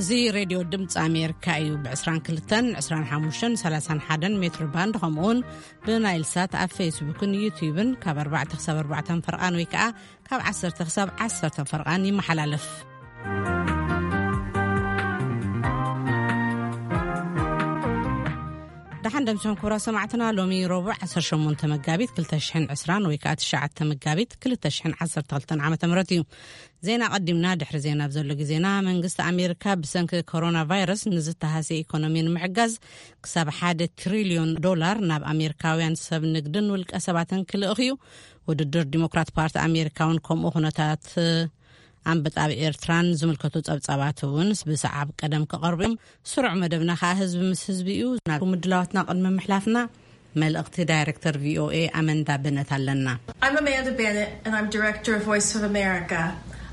እዚ ሬድዮ ድምፂ ኣሜሪካ እዩ። ብ22፣ 25፣ 31 ሜትር ባንድ፣ ከምኡውን ብናይል ሳት ኣብ ፌስቡክን ዩቲዩብን ካብ ኣርባዕተ ክሳብ ኣርባዕተ ፈርቓን ወይ ከዓ ካብ ዓሰርተ ክሳብ ዓሰርተ ፈርቓን ይመሓላለፍ። ደሓን ደምስኹም ክቡራት ሰማዕትና። ሎሚ ረቡዕ ዓሰርተ ሸሞንተ መጋቢት ክልተ ሽሕን ዕስራን ወይ ከዓ ትሽዓተ መጋቢት ክልተ ሽሕን ዓሰርተ ክልተን ዓመተ ምህረት እዩ። ዜና ቀዲምና። ድሕሪ ዜና ኣብ ዘሎ ግዜና፣ መንግስቲ ኣሜሪካ ብሰንኪ ኮሮና ቫይረስ ንዝተሃስየ ኢኮኖሚ ንምሕጋዝ ክሳብ ሓደ ትሪልዮን ዶላር ናብ ኣሜሪካውያን ሰብ ንግድን ውልቀ ሰባትን ክልእኽ እዩ። ውድድር ዲሞክራት ፓርቲ ኣሜሪካ እውን ከምኡ ኩነታት ኣንበጣ ኣብ ኤርትራን ዝምልከቱ ጸብጻባት እውን ብሰዓብ ቀደም ክቐርቡ እዮም። ስሩዕ መደብና ከኣ ህዝቢ ምስ ህዝቢ እዩ። ናብ ምድላዋትና ቅድሚ ምሕላፍና፣ መልእኽቲ ዳይሬክተር ቪኦኤ ኣመንዳ በነት ኣለና። I'm Amanda Bennett, and I'm director of Voice of America.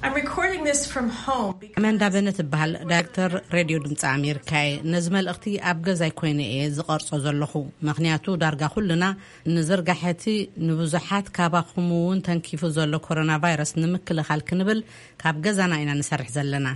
I'm recording this from home because ኣመንዳ በነት እበሃል፣ ዳይሬክተር ሬድዮ ድምፂ ኣሜሪካ እየ። ነዚ መልእኽቲ ኣብ ገዛይ ኮይነ እየ ዝቐርጾ ዘለኹ፣ ምኽንያቱ ዳርጋ ኩልና ንዝርጋሐቲ ንብዙሓት ካባኹም እውን ተንኪፉ ዘሎ ኮሮና ቫይረስ ንምክልኻል ክንብል ካብ ገዛና ኢና ንሰርሕ ዘለና።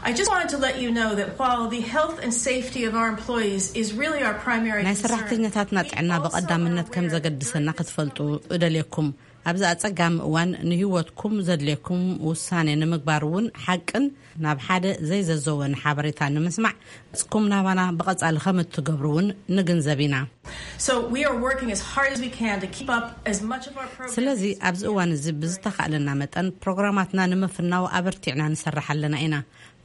I just wanted to let you know that while the health and safety of our employees is really our primary ናይ concern, ሰራሕተኛታትና ጥዕና ብቐዳምነት ከም ዘገድሰና ክትፈልጡ እደልየኩም። ኣብዚ ኣጸጋሚ እዋን ንህይወትኩም ዘድልየኩም ውሳኔ ንምግባር እውን ሓቅን ናብ ሓደ ዘይዘዘወን ሓበሬታ ንምስማዕ፣ ንስኩም ናባና ብቐጻሊ ከም እትገብሩ እውን ንግንዘብ ኢና። So we are working as hard as we can to keep up as much of our programs. ስለዚ ኣብዚ እዋን እዚ ብዝተኻእለና መጠን ፕሮግራማትና ንምፍናው ኣበርቲዕና ንሰርሕ ኣለና ኢና።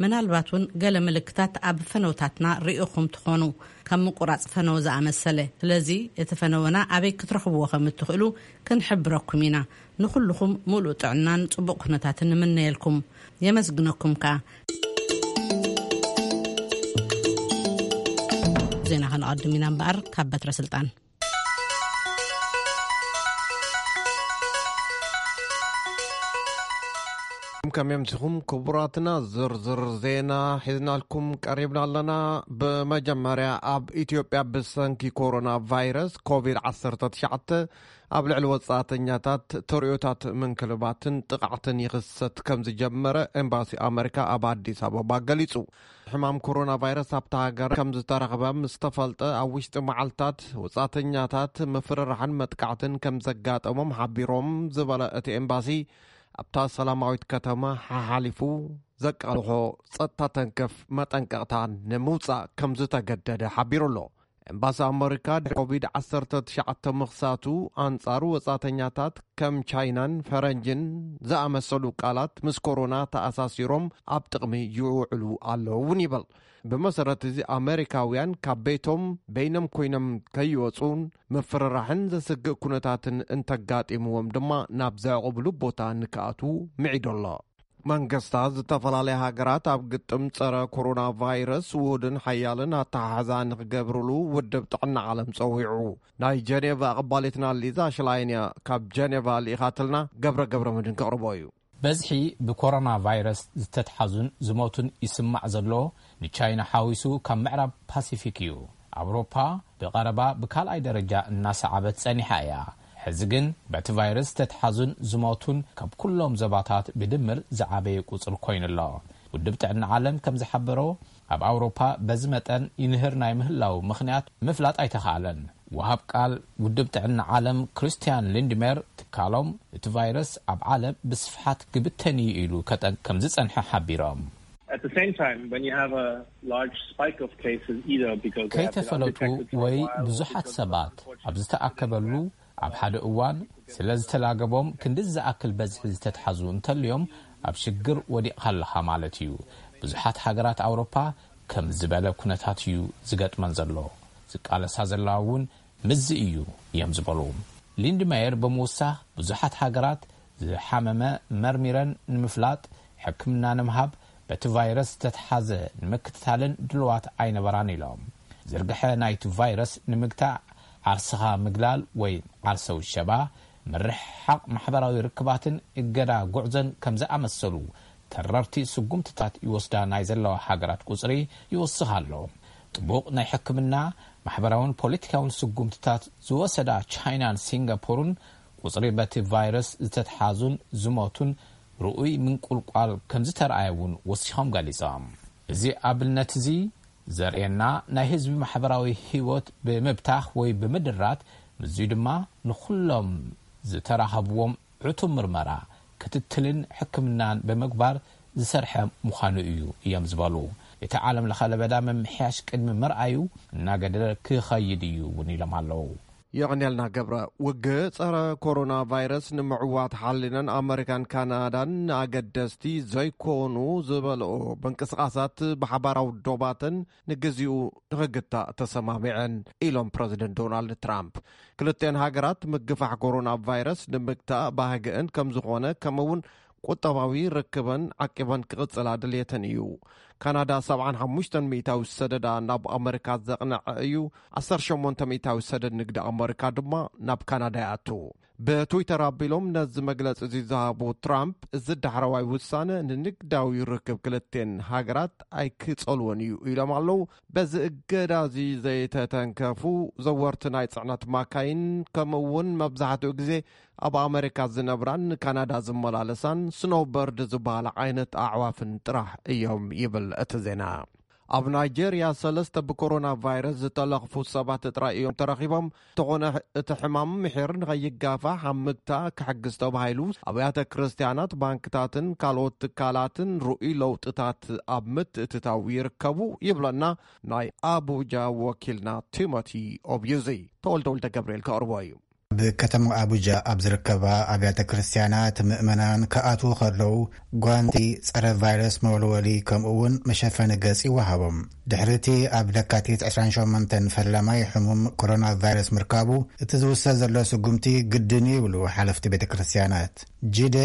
ምናልባት እውን ገለ ምልክታት ኣብ ፈነውታትና ርኢኹም ትኾኑ፣ ከም ምቁራጽ ፈነው ዝኣመሰለ። ስለዚ እቲ ፈነወና ኣበይ ክትረኽብዎ ከም እትኽእሉ ክንሕብረኩም ኢና። ንኹልኹም ሙሉእ ጥዕናን ጽቡቕ ኩነታትን ንምነየልኩም። የመስግነኩም ከኣ። ዜና ከነቐድም ኢና እምበኣር፣ ካብ በትረ ስልጣን። ከመይ ኣምሲኹም ክቡራትና? ዝርዝር ዜና ሒዝናልኩም ቀሪብና ኣለና። ብመጀመርያ፣ ኣብ ኢትዮጵያ ብሰንኪ ኮሮና ቫይረስ ኮቪድ ዓሰርተ ትሽዓተ ኣብ ልዕሊ ወጻእተኛታት ተርእዮታት ምንክልባትን ጥቕዓትን ይኽሰት ከም ዝጀመረ ኤምባሲ ኣመሪካ ኣብ ኣዲስ ኣበባ ገሊጹ። ሕማም ኮሮና ቫይረስ ኣብታ ሃገር ከም ዝተረኽበ ምስ ተፈልጠ፣ ኣብ ውሽጢ መዓልታት ወጻእተኛታት ምፍርራሕን መጥቃዕትን ከም ዘጋጠሞም ሓቢሮም ዝበለ እቲ ኤምባሲ፣ ኣብታ ሰላማዊት ከተማ ሓሓሊፉ ዘቃልሖ ጸጥታ ተንከፍ መጠንቀቕታ ንምውጻእ ከም ዝተገደደ ሓቢሩ ኣሎ። ኤምባሲ ኣመሪካ ድሕሪ ኮቪድ ዓሰርተ ትሽዓተ ምኽሳቱ፣ ኣንጻሩ ወጻእተኛታት ከም ቻይናን ፈረንጅን ዝኣመሰሉ ቃላት ምስ ኮሮና ተኣሳሲሮም ኣብ ጥቕሚ ይውዕሉ ኣለዉ እውን ይብል። ብመሰረት እዚ፣ ኣመሪካውያን ካብ ቤቶም በይኖም ኮይኖም ከይወጹን ምፍርራሕን ዘስግእ ኩነታትን እንተጋጢምዎም ድማ ናብ ዘዕቑብሉ ቦታ ንክኣትዉ ምዒዱ ኣሎ። መንግስታት ዝተፈላለያ ሃገራት ኣብ ግጥም ጸረ ኮሮና ቫይረስ ውሁድን ሓያልን ኣተሓሕዛ ንክገብርሉ ውድብ ጥዕና ዓለም ጸዊዑ። ናይ ጀኔቫ ኣቐባሊትና ሊዛ ሽላይን እያ ካብ ጀኔቫ ልኢኻትልና። ገብረ ገብረ መድን ከቕርቦ እዩ። በዝሒ ብኮሮና ቫይረስ ዝተትሓዙን ዝሞቱን ይስማዕ ዘሎ ንቻይና ሓዊሱ ካብ ምዕራብ ፓሲፊክ እዩ። ኣውሮፓ ብቐረባ ብካልኣይ ደረጃ እናሰዓበት ጸኒሓ እያ። ሕዚ ግን በቲ ቫይረስ ዝተትሓዙን ዝሞቱን ካብ ኩሎም ዞባታት ብድምር ዝዓበየ ቁጽሪ ኮይኑ ኣሎ። ውድብ ጥዕና ዓለም ከም ዝሓበሮ፣ ኣብ ኣውሮፓ በዚ መጠን ይንህር ናይ ምህላው ምኽንያት ምፍላጥ ኣይተኻእለን። ወሃብ ቃል ውድብ ጥዕና ዓለም ክሪስቲያን ሊንድሜር፣ ትካሎም እቲ ቫይረስ ኣብ ዓለም ብስፍሓት ክብተን እዩ ኢሉ ከጠንቅ ከም ዝጸንሐ ሓቢሮም። At the same time, when you have a large spike of cases, either because they have been ከይተፈለጡ undetected for a ወይ while or ብዙሓት because ሰባት ኣብ ዝተኣከበሉ ኣብ ሓደ እዋን ስለ ዝተላገቦም ክንዲ ዝኣክል በዝሒ ዝተትሓዙ እንተልዮም ኣብ ሽግር ወዲቕካ ኣለኻ ማለት እዩ። ብዙሓት ሃገራት ኣውሮፓ ከም ዝበለ ኩነታት እዩ ዝገጥመን ዘሎ። ዝቃለሳ ዘለዋ እውን ምስዚ እዩ እዮም ዝበሉ። ሊንድመየር ብምውሳኽ ብዙሓት ሃገራት ዝሓመመ መርሚረን ንምፍላጥ ሕክምና ንምሃብ በቲ ቫይረስ ዝተትሓዘ ንምክትታልን ድልዋት ኣይነበራን ኢሎም። ዝርግሐ ናይቲ ቫይረስ ንምግታእ ዓርስኻ ምግላል ወይ ዓርሰ ውሸባ፣ ምርሕሓቕ ማሕበራዊ ርክባትን እገዳ ጉዕዞን ከም ዝኣመሰሉ ተረርቲ ስጉምትታት ይወስዳ ናይ ዘለዋ ሃገራት ቁጽሪ ይወስኽ ኣሎ። ጥቡቕ ናይ ሕክምና፣ ማሕበራውን ፖለቲካውን ስጉምትታት ዝወሰዳ ቻይናን ሲንጋፖርን ቁጽሪ በቲ ቫይረስ ዝተትሓዙን ዝሞቱን ርኡይ ምንቁልቋል ከም ዝተረኣየ እውን ወሲኾም ገሊጾም። እዚ ኣብነት እዚ ዘርእየና፣ ናይ ህዝቢ ማሕበራዊ ህይወት ብምብታኽ ወይ ብምድራት፣ ምስዚ ድማ ንኹሎም ዝተራኸብዎም ዕቱብ ምርመራ፣ ክትትልን ሕክምናን ብምግባር ዝሰርሐ ምዃኑ እዩ እዮም ዝበሉ። እቲ ዓለም ለኸ ለበዳ ምምሕያሽ ቅድሚ ምርኣዩ እናገደደ ክኸይድ እዩ እውን ኢሎም ኣለዉ። የቐንየልና ገብረ። ውግእ ጸረ ኮሮና ቫይረስ ንምዕዋት ሓሊነን ኣመሪካን ካናዳን ኣገደስቲ ዘይኮኑ ዝበልኦ ምንቅስቓሳት ብሓባራዊ ዶባተን ንግዚኡ ንኽግታእ ተሰማሚዐን ኢሎም ፕረዚደንት ዶናልድ ትራምፕ። ክልተን ሃገራት ምግፋሕ ኮሮና ቫይረስ ንምግታእ ባህግአን ከም ዝኾነ፣ ከምኡውን ቁጠባዊ ርክበን ዓቂበን ክቕጽላ ድልየተን እዩ። ካናዳ ሰብዓን ሓሙሽተን ሚእታዊ ሰደዳ ናብ ኣመሪካ ዘቕነዐ እዩ። ዓሰርተ ሸሞንተ ሚእታዊ ሰደድ ንግዲ ኣመሪካ ድማ ናብ ካናዳ ይኣቱ። ብትዊተር ኣቢሎም ነዚ መግለጺ እዚ ዝሃቡ ትራምፕ፣ እዚ ዳሕረዋይ ውሳነ ንንግዳዊ ርክብ ክልቴን ሃገራት ኣይክጸልዎን እዩ ኢሎም ኣለዉ። በዚ እገዳ እዚ ዘይተተንከፉ ዘወርቲ ናይ ጽዕነት ማካይን፣ ከምኡ እውን መብዛሕትኡ ግዜ ኣብ ኣመሪካ ዝነብራን ንካናዳ ዝመላለሳን ስኖውበርድ ዝበሃላ ዓይነት ኣዕዋፍን ጥራሕ እዮም ይብል እቲ ዜና። ኣብ ናይጄርያ ሰለስተ ብኮሮና ቫይረስ ዝተለኽፉ ሰባት ጥራይ እዮም ተረኺቦም። እንተኾነ እቲ ሕማም ምሒር ንኸይጋፋሕ ኣብ ምግታእ ክሕግዝ ተባሂሉ ኣብያተ ክርስቲያናት፣ ባንክታትን ካልኦት ትካላትን ርኡይ ለውጥታት ኣብ ምትእትታው ይርከቡ ይብለና ናይ ኣቡጃ ወኪልና ቲሞቲ ኦብዩዚ። ተወልደ ወልደ ገብርኤል ከቕርቦ እዩ። ኣብ ከተማ ኣቡጃ ኣብ ዝርከባ ኣብያተ ክርስቲያናት ምእመናን ክኣትዉ ከለዉ ጓንቲ፣ ጸረ ቫይረስ መወልወሊ፣ ከምኡ እውን መሸፈኒ ገጽ ይወሃቦም። ድሕሪ እቲ ኣብ ለካቲት ዕስራን ሸሞንተን ፈላማይ ሕሙም ኮሮና ቫይረስ ምርካቡ፣ እቲ ዝውሰድ ዘሎ ስጉምቲ ግድን እዩ ይብሉ ሓለፍቲ ቤተ ክርስቲያናት። ጂደ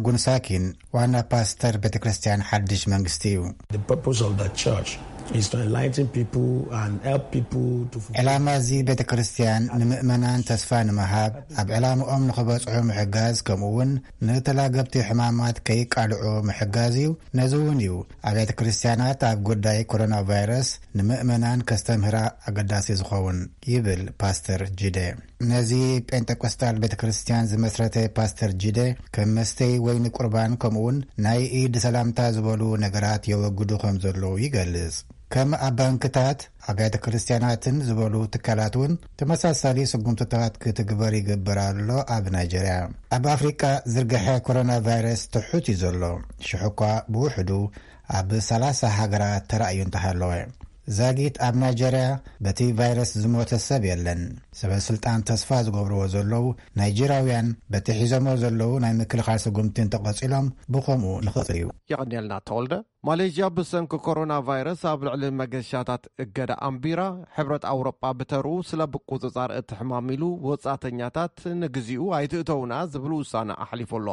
ጉንሳኪን ዋና ፓስተር ቤተ ክርስቲያን ሓድሽ መንግስቲ እዩ። The purpose of the church is to enlighten people and help people to ዕላማ እዚ ቤተ ክርስቲያን ንምእመናን ተስፋ ንምሃብ፣ ኣብ ዕላምኦም ንኽበጽሑ ምሕጋዝ፣ ከምኡ እውን ንተላገብቲ ሕማማት ከይቃልዑ ምሕጋዝ እዩ። ነዚ እውን እዩ ኣብያተ ክርስቲያናት ኣብ ጉዳይ ኮሮና ቫይረስ ንምእመናን ከስተምህራ ኣገዳሲ ዝኸውን ይብል ፓስተር ጂደ። ነዚ ጴንጠቆስጣል ቤተ ክርስቲያን ዝመስረተ ፓስተር ጂደ፣ ከም መስተይ ወይኒ ቁርባን ከምኡውን ናይ ኢድ ሰላምታ ዝበሉ ነገራት የወግዱ ከም ዘለዉ ይገልጽ። ከም ኣብ ባንክታት፣ ኣብያተ ክርስቲያናትን ዝበሉ ትካላት እውን ተመሳሳሊ ስጉምትታት ክትግበር ይግበር ኣሎ። ኣብ ናይጀርያ፣ ኣብ ኣፍሪቃ ዝርግሐ ኮሮና ቫይረስ ትሑት እዩ ዘሎ። ሽሕ እኳ ብውሕዱ ኣብ ሰላሳ ሃገራት ተራእዩ እንተሃለወ፣ ዛጊት ኣብ ናይጀርያ በቲ ቫይረስ ዝሞተ ሰብ የለን። ሰበ ስልጣን ተስፋ ዝገብርዎ ዘለዉ ናይጀርያውያን በቲ ሒዞሞ ዘለዉ ናይ ምክልኻል ስጉምቲ እንተቐጺሎም ብኸምኡ ንኽቕጽል እዩ። የቐንየልና ተወልደ። ማሌዥያ ብሰንኪ ኮሮና ቫይረስ ኣብ ልዕሊ መገሻታት እገዳ ኣንቢራ፣ ሕብረት ኣውሮጳ ብተርኡ ስለ ብቁጽጻር እቲ ሕማም ኢሉ ወጻእተኛታት ንግዚኡ ኣይትእተውና ዝብል ውሳነ ኣሕሊፉ ኣሎ።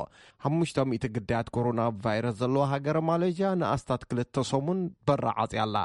ሓሙሽተ ሚእቲ ግዳያት ኮሮና ቫይረስ ዘለዋ ሃገር ማሌዥያ ንኣስታት ክልተ ሰሙን በራ ዓጽያ ኣላ።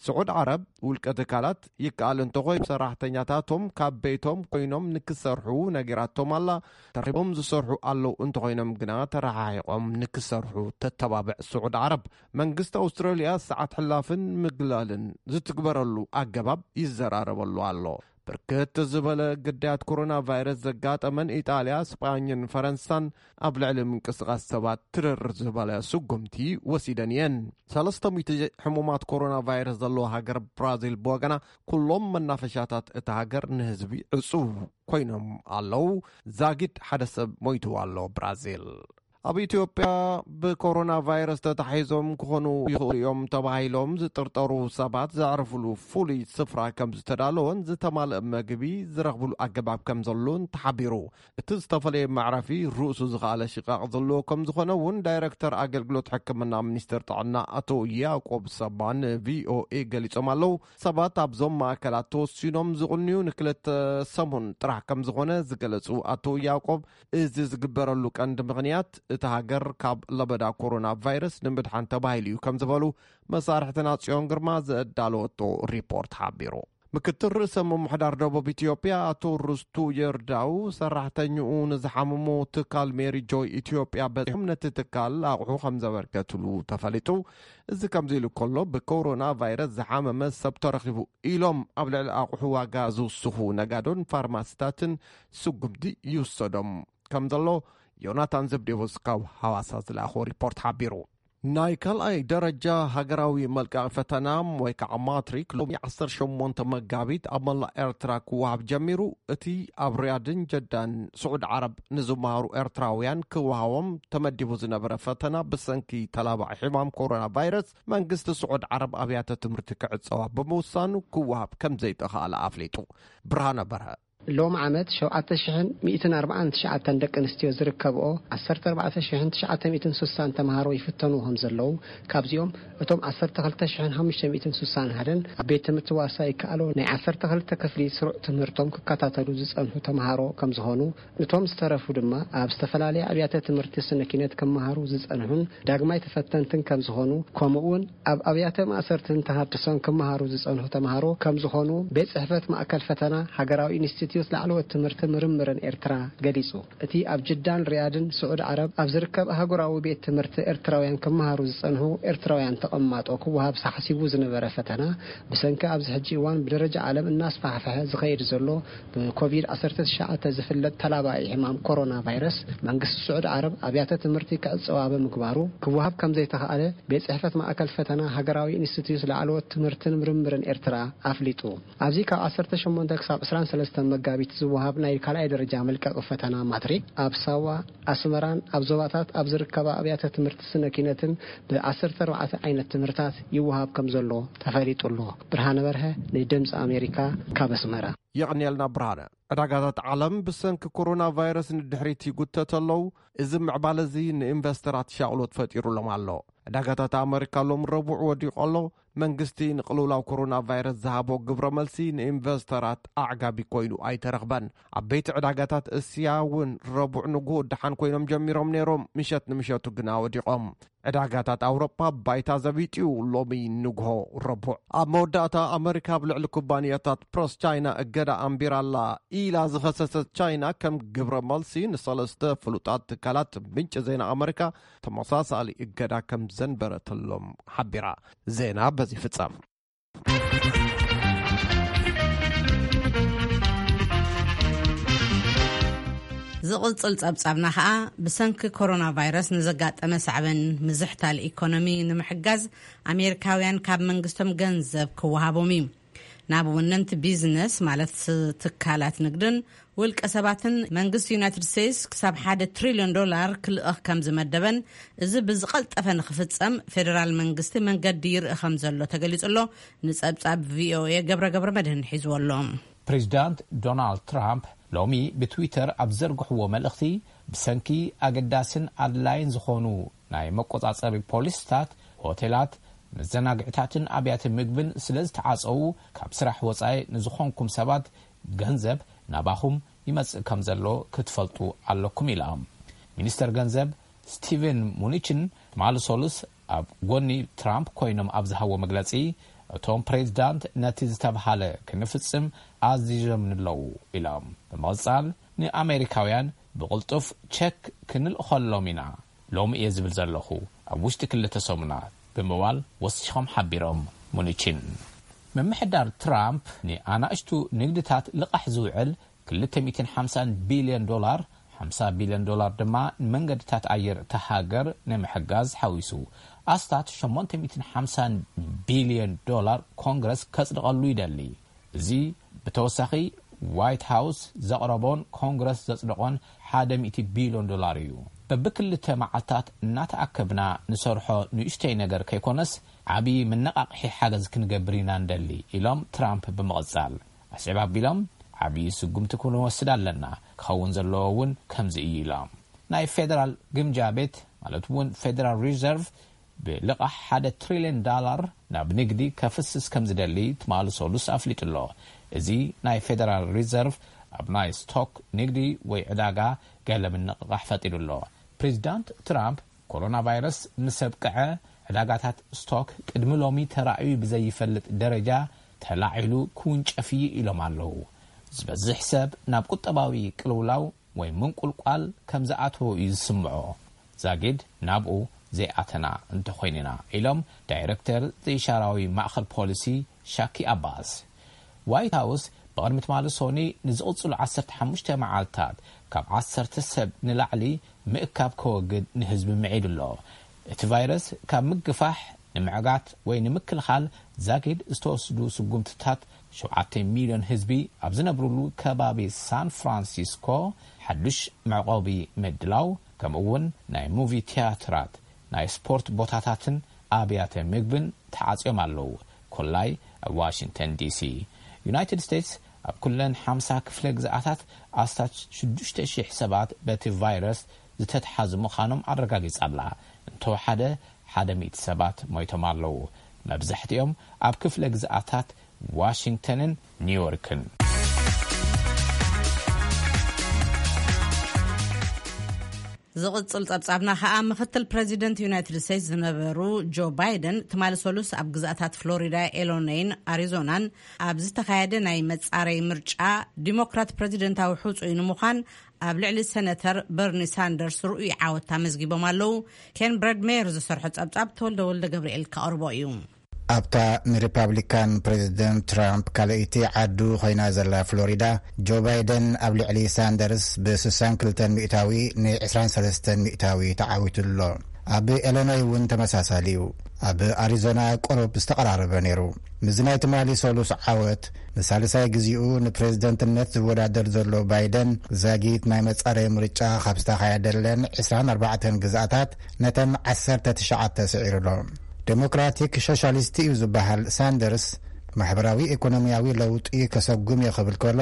ስዑድ ዓረብ ውልቀ ትካላት ይከኣል እንተኾይኑ ሰራሕተኛታቶም ካብ ቤቶም ኮይኖም ንክሰርሑ ነጊራቶም ኣላ። ተረኺቦም ዝሰርሑ ኣለዉ እንተኾይኖም ግና ተረሓሒቖም ንክሰርሑ ተተባብዕ ስዑድ ዓረብ። መንግስቲ ኣውስትራልያ ሰዓት ሕላፍን ምግላልን ዝትግበረሉ ኣገባብ ይዘራረበሉ ኣሎ። ብርክት ዝበለ ግዳያት ኮሮና ቫይረስ ዘጋጠመን ኢጣልያ፣ ስጳኝን ፈረንሳን ኣብ ልዕሊ ምንቅስቓስ ሰባት ትርር ዝበለ ስጉምቲ ወሲደን እየን። ሰለስተ ሚእቲ ሕሙማት ኮሮና ቫይረስ ዘለዎ ሃገር ብራዚል ብወገና፣ ኩሎም መናፈሻታት እታ ሃገር ንህዝቢ ዕጹው ኮይኖም ኣለዉ። ዛጊድ ሓደ ሰብ ሞይቱ ኣሎ ብራዚል። ኣብ ኢትዮጵያ ብኮሮና ቫይረስ ተታሒዞም ክኾኑ ይኽእሉ እዮም ተባሂሎም ዝጥርጠሩ ሰባት ዘዕርፍሉ ፍሉይ ስፍራ ከም ዝተዳለወን ዝተማልአ መግቢ ዝረኽብሉ ኣገባብ ከም ዘሎን ተሓቢሩ። እቲ ዝተፈለየ መዕረፊ ርእሱ ዝኸኣለ ሽቓቕ ዘለዎ ከም ዝኾነ እውን ዳይረክተር ኣገልግሎት ሕክምና ሚኒስቴር ጥዕና ኣቶ ያዕቆብ ሰባ ንቪኦኤ ገሊጾም ኣለዉ። ሰባት ኣብዞም ማእከላት ተወሲኖም ዝቕንዩ ንክልተ ሰሙን ጥራሕ ከም ዝኾነ ዝገለጹ ኣቶ ያዕቆብ፣ እዚ ዝግበረሉ ቀንዲ ምኽንያት እታ ሃገር ካብ ለበዳ ኮሮና ቫይረስ ንምድሓን ተባሂሉ እዩ ከም ዝበሉ መሳርሕትና ጽዮን ግርማ ዘዳለወቶ ሪፖርት ሓቢሩ። ምክትል ርእሰ ምምሕዳር ደቡብ ኢትዮጵያ ኣቶ ርስቱ የርዳው፣ ሰራሕተኛኡ ንዝሓመሞ ትካል ሜሪ ጆይ ኢትዮጵያ በጺሖም ነቲ ትካል ኣቑሑ ከም ዘበርከትሉ ተፈሊጡ። እዚ ከምዚ ኢሉ ከሎ፣ ብኮሮና ቫይረስ ዝሓመመ ሰብ ተረኺቡ ኢሎም ኣብ ልዕሊ ኣቑሑ ዋጋ ዝውስኹ ነጋዶን ፋርማሲታትን ስጉምቲ ይውሰዶም ከም ዘሎ ዮናታን ዘብዴዎስ ካብ ሃዋሳ ዝለኣኾ ሪፖርት ሓቢሩ። ናይ ካልኣይ ደረጃ ሃገራዊ መልቀቂ ፈተና ወይ ከዓ ማትሪክ ሎሚ ዓሰርተ ሸሞንተ መጋቢት ኣብ መላእ ኤርትራ ክወሃብ ጀሚሩ። እቲ ኣብ ሪያድን ጀዳን ስዑድ ዓረብ ንዝመሃሩ ኤርትራውያን ክወሃቦም ተመዲቡ ዝነበረ ፈተና ብሰንኪ ተላባዒ ሕማም ኮሮና ቫይረስ መንግስቲ ስዑድ ዓረብ ኣብያተ ትምህርቲ ክዕጸዋ ብምውሳኑ ክወሃብ ከም ዘይተኻእለ ኣፍሊጡ። ብርሃነ በርሀ። ሎም ዓመት ሸውዓተ ሽሕን ሚእትን ኣርባዓን ትሽዓተን ደቂ ኣንስትዮ ዝርከብኦ ዓሰርተ ኣርባዕተ ሽሕን ትሽዓተ ሚእትን ስሳን ተምሃሮ ይፍተኑ ከም ዘለዉ፣ ካብዚኦም እቶም ዓሰርተ ክልተ ሽሕን ሓሙሽተ ሚእትን ስሳን ሓደን ኣብ ቤት ትምህርቲ ዋሳ ይከኣሎ ናይ ዓሰርተ ክልተ ክፍሊ ስሩዕ ትምህርቶም ክከታተሉ ዝጸንሑ ተምሃሮ ከም ዝኾኑ፣ እቶም ዝተረፉ ድማ ኣብ ዝተፈላለያ ኣብያተ ትምህርቲ ስነ ኪነት ክመሃሩ ዝጸንሑን ዳግማይ ተፈተንትን ከም ዝኾኑ፣ ከምኡ እውን ኣብ ኣብያተ ማእሰርትን ተሃድሶን ክመሃሩ ዝጸንሑ ተምሃሮ ከም ዝኾኑ ቤት ጽሕፈት ማእከል ፈተና ሃገራዊ ኢንስቲትዩት ላዕለዎት ትምህርቲ ምርምርን ኤርትራ ገሊጹ። እቲ ኣብ ጅዳን ሪያድን ስዑድ ዓረብ ኣብ ዝርከብ ኣህጉራዊ ቤት ትምህርቲ ኤርትራውያን ክመሃሩ ዝጸንሑ ኤርትራውያን ተቐማጦ ክወሃብ ተሓሲቡ ዝነበረ ፈተና ብሰንኪ ኣብዚ ሕጂ እዋን ብደረጃ ዓለም እናስፋሕፈሐ ዝኸይድ ዘሎ ብኮቪድ ዓሰርተ ትሽዓተ ዝፍለጥ ተላባዒ ሕማም ኮሮና ቫይረስ መንግስቲ ስዑድ ዓረብ ኣብያተ ትምህርቲ ክዕጸዋ ብምግባሩ ክወሃብ ከም ዘይተኻእለ ቤት ጽሕፈት ማእከል ፈተና ሃገራዊ ኢንስቲትዩት ላዕለዎት ትምህርትን ምርምርን ኤርትራ ኣፍሊጡ። ኣብዚ ካብ ዓሰርተ ሸሞንተ ክሳብ ዕስራን ሰለስተን መጋቢት ዝወሃብ ናይ ካልኣይ ደረጃ መልቀቂ ፈተና ማትሪክ ኣብ ሳዋ፣ ኣስመራን ኣብ ዞባታት ኣብ ዝርከባ ኣብያተ ትምህርቲ ስነ ኪነትን ብዓሰርተ ኣርባዕተ ዓይነት ትምህርታት ይወሃብ ከም ዘሎ ተፈሊጡ ኣሎ። ብርሃነ በርሀ ንድምፂ ኣሜሪካ ካብ ኣስመራ። የቕንየልና ብርሃነ። ዕዳጋታት ዓለም ብሰንኪ ኮሮና ቫይረስ ንድሕሪት ይጉተት ኣለዉ። እዚ ምዕባለ እዚ ንኢንቨስተራት ሻቕሎት ፈጢሩሎም ኣሎ። ዕዳጋታት ኣመሪካ ሎም ረቡዕ ወዲቑ ኣሎ። መንግስቲ ንቅልውላው ኮሮና ቫይረስ ዝሃቦ ግብረ መልሲ ንኢንቨስተራት ኣዕጋቢ ኮይኑ ኣይተረኽበን። ዓበይቲ ዕዳጋታት እስያ እውን ረቡዕ ንግሆ ደሓን ኮይኖም ጀሚሮም ነይሮም፣ ምሸት ንምሸቱ ግና ወዲቖም። ዕዳጋታት ኣውሮፓ ባይታ ዘቢጥዩ ሎሚ ንግሆ ረቡዕ። ኣብ መወዳእታ ኣመሪካ ኣብ ልዕሊ ኩባንያታት ፕሮስ ቻይና እገዳ ኣንቢራላ ኢላ ዝኸሰሰት ቻይና ከም ግብረ መልሲ ንሰለስተ ፍሉጣት ትካላት ምንጭ ዜና ኣመሪካ ተመሳሳሊ እገዳ ከም ዘንበረትሎም ሓቢራ። ዜና በዚ ፍጸም። ዝቕጽል ጸብጻብና ኸኣ ብሰንኪ ኮሮና ቫይረስ ንዘጋጠመ ሳዕበን ምዝሕታል ኢኮኖሚ ንምሕጋዝ ኣሜሪካውያን ካብ መንግስቶም ገንዘብ ክወሃቦም እዩ። ናብ ወነንቲ ቢዝነስ ማለት ትካላት ንግድን ውልቀ ሰባትን መንግስቲ ዩናይትድ ስቴትስ ክሳብ ሓደ ትሪልዮን ዶላር ክልእኽ ከም ዝመደበን እዚ ብዝቐልጠፈ ንክፍጸም ፌደራል መንግስቲ መንገዲ ይርኢ ከም ዘሎ ተገሊጹ ኣሎ። ንጸብጻብ ቪኦኤ ገብረ ገብረ መድህን ሒዝዎ ኣሎ። ፕሬዚዳንት ዶናልድ ትራምፕ ሎሚ ብትዊተር ኣብ ዘርግሕዎ መልእኽቲ ብሰንኪ ኣገዳስን ኣድላይን ዝኾኑ ናይ መቆጻጸሪ ፖሊስታት ሆቴላት፣ መዘናግዕታትን ኣብያተ ምግብን ስለ ዝተዓጸዉ ካብ ስራሕ ወጻኢ ንዝኾንኩም ሰባት ገንዘብ ናባኹም ይመጽእ ከም ዘሎ ክትፈልጡ ኣለኩም ኢላ። ሚኒስተር ገንዘብ ስቲቨን ሙኒችን ትማሊ ሰሉስ ኣብ ጎኒ ትራምፕ ኮይኖም ኣብ ዝሃቦ መግለጺ፣ እቶም ፕሬዚዳንት ነቲ ዝተብሃለ ክንፍጽም ኣዚዞምኒ ኣለዉ ኢሎም። ብምቕጻል ንኣሜሪካውያን ብቕልጡፍ ቸክ ክንልእኸሎም ኢና ሎሚ እየ ዝብል ዘለኹ፣ ኣብ ውሽጢ ክልተ ሰሙናት ብምባል ወሲኾም ሓቢሮም። ሙኒችን ምምሕዳር ትራምፕ ንኣናእሽቱ ንግድታት ልቓሕ ዝውዕል ክልተ ሚእትን ሓምሳን ቢልዮን ዶላር፣ ሓምሳ ቢልዮን ዶላር ድማ ንመንገድታት ኣየር እታ ሃገር ንምሕጋዝ ሓዊሱ ኣስታት ሸሞንተ ሚእትን ሓምሳን ቢልዮን ዶላር ኮንግረስ ከጽድቐሉ ይደሊ። እዚ ብተወሳኺ ዋይት ሃውስ ዘቕረቦን ኮንግረስ ዘጽደቖን ሓደ ሚእቲ ቢልዮን ዶላር እዩ። በብክልተ መዓልታት እናተኣከብና ንሰርሖ ንእሽተይ ነገር ከይኮነስ ዓብዪ መነቓቕሒ ሓገዝ ክንገብር ኢና ንደሊ ኢሎም ትራምፕ ብምቕጻል ኣስዕብ ኣቢሎም፣ ዓብዪ ስጉምቲ ክንወስድ ኣለና፣ ክኸውን ዘለዎ እውን ከምዚ እዩ ኢሎም። ናይ ፌደራል ግምጃ ቤት ማለት እውን ፌደራል ሪዘርቭ ብልቓሕ ሓደ ትሪልዮን ዳላር ናብ ንግዲ ከፍስስ ከም ዝደሊ ትማሊ ሰሉስ ኣፍሊጡ ኣሎ። እዚ ናይ ፌደራል ሪዘርቭ ኣብ ናይ ስቶክ ንግዲ ወይ ዕዳጋ ገለ ምንቕቓሕ ፈጢሩ ኣሎ። ፕሬዚዳንት ትራምፕ ኮሮና ቫይረስ ምስ ኣብቅዐ ዕዳጋታት ስቶክ ቅድሚ ሎሚ ተራእዩ ብዘይፈልጥ ደረጃ ተላዒሉ ክውንጨፍ እዩ ኢሎም ኣለዉ። ዝበዝሕ ሰብ ናብ ቁጠባዊ ቅልውላው ወይ ምንቁልቋል ከም ዝኣተወ እዩ ዝስምዖ። ዛጊድ ናብኡ ዘይኣተና እንተኾይንና ኢሎም ዳይረክተር ዘይሻራዊ ማእኸል ፖሊሲ ሻኪ ኣባስ። ዋይት ሃውስ ብቕድሚ ትማሊ ሶኒ ንዝቕጽሉ ዓሰርተ ሓሙሽተ መዓልታት ካብ ዓሰርተ ሰብ ንላዕሊ ምእካብ ከወግድ ንህዝቢ ምዒዱ ኣሎ። እቲ ቫይረስ ካብ ምግፋሕ ንምዕጋት ወይ ንምክልኻል ዛጊድ ዝተወስዱ ስጉምትታት፣ ሸውዓተ ሚልዮን ህዝቢ ኣብ ዝነብሩሉ ከባቢ ሳን ፍራንሲስኮ ሓዱሽ መዕቆቢ ምድላው፣ ከምኡ እውን ናይ ሙቪ ትያትራት፣ ናይ ስፖርት ቦታታትን ኣብያተ ምግብን ተዓጽዮም ኣለዉ። ኮላይ ኣብ ዋሽንግተን ዲሲ። ዩናይትድ ስቴትስ ኣብ ኩለን ሓምሳ ክፍለ ግዝኣታት ኣስታት ሽዱሽተ ሽሕ ሰባት በቲ ቫይረስ ዝተትሓዙ ምዃኖም ኣረጋጊጻ ኣላ። እንተወሓደ ሓደ ሚእቲ ሰባት ሞይቶም ኣለዉ። መብዛሕትኦም ኣብ ክፍለ ግዝኣታት ዋሽንግተንን ኒውዮርክን። ዝቕጽል ጸብጻብና ከኣ፣ ምኽትል ፕረዚደንት ዩናይትድ ስቴትስ ዝነበሩ ጆ ባይደን ትማሊ ሰሉስ ኣብ ግዝኣታት ፍሎሪዳ፣ ኤሎኖይን ኣሪዞናን ኣብ ዝተኻየደ ናይ መጻረይ ምርጫ ዲሞክራት ፕረዚደንታዊ ሕጹይ ንምዃን ኣብ ልዕሊ ሰነተር በርኒ ሳንደርስ ርኡይ ዓወት ኣመዝጊቦም ኣለዉ። ኬን ብረድሜየር ዝሰርሖ ጸብጻብ ተወልደ ወልደ ገብርኤል ከቕርቦ እዩ። ኣብታ ንሪፓብሊካን ፕሬዚደንት ትራምፕ ካልኣይቲ ዓዱ ኮይና ዘላ ፍሎሪዳ፣ ጆ ባይደን ኣብ ልዕሊ ሳንደርስ ብ ስሳን ክልተን ሚእታዊ ን ዕስራን ሰለስተን ሚእታዊ ተዓዊቱ ኣሎ። ኣብ ኤሎኖይ እውን ተመሳሳሊ እዩ። ኣብ ኣሪዞና ቁሩብ ዝተቐራረበ ነይሩ። ምስዚ ናይ ትማሊ ሰሉስ ዓወት፣ ንሳልሳይ ግዜኡ ንፕሬዚደንትነት ዝወዳደር ዘሎ ባይደን፣ ዛጊት ናይ መጻረዪ ምርጫ ካብ ዝተኻየደለን ዕስራን ኣርባዕተን ግዝኣታት ነተን ዓሰርተ ትሽዓተ ስዒሩ ኣሎ። ዴሞክራቲክ ሶሻሊስት እዩ ዝበሃል ሳንደርስ፣ ማሕበራዊ ኢኮኖሚያዊ ለውጢ ከሰጉም እየ ክብል ከሎ፣